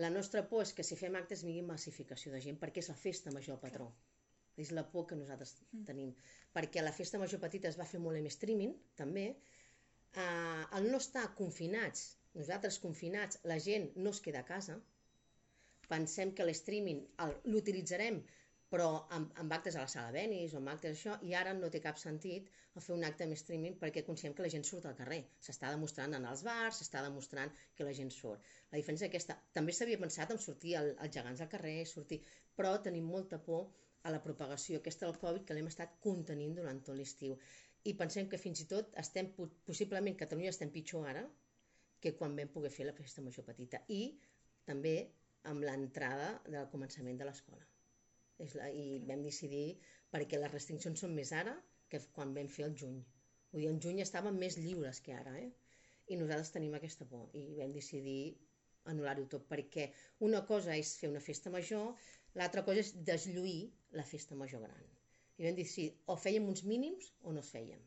La nostra por és que si fem actes vingui massificació de gent, perquè és la festa major al patró. És la por que nosaltres tenim. Perquè la festa major petita es va fer molt en streaming, també. Al no estar confinats, nosaltres confinats, la gent no es queda a casa. Pensem que l'streaming l'utilitzarem però amb actes a la sala Benis o amb actes això, i ara no té cap sentit fer un acte amb streaming perquè considerem que la gent surt al carrer. S'està demostrant en els bars, s'està demostrant que la gent surt. La diferència és aquesta. També s'havia pensat en sortir els gegants al carrer, però tenim molta por a la propagació aquesta del Covid, que l'hem estat contenint durant tot l'estiu. I pensem que fins i tot possiblement Catalunya estem pitjor ara que quan vam poder fer la festa major petita. I també amb l'entrada del començament de l'escola. I vam decidir, perquè les restriccions són més ara que quan vam fer el juny. Vull dir, en juny estàvem més lliures que ara, i nosaltres tenim aquesta por, i vam decidir anul·lar-ho tot, perquè una cosa és fer una festa major, l'altra cosa és deslluir la festa major gran. I vam decidir, o fèiem uns mínims o no es fèiem.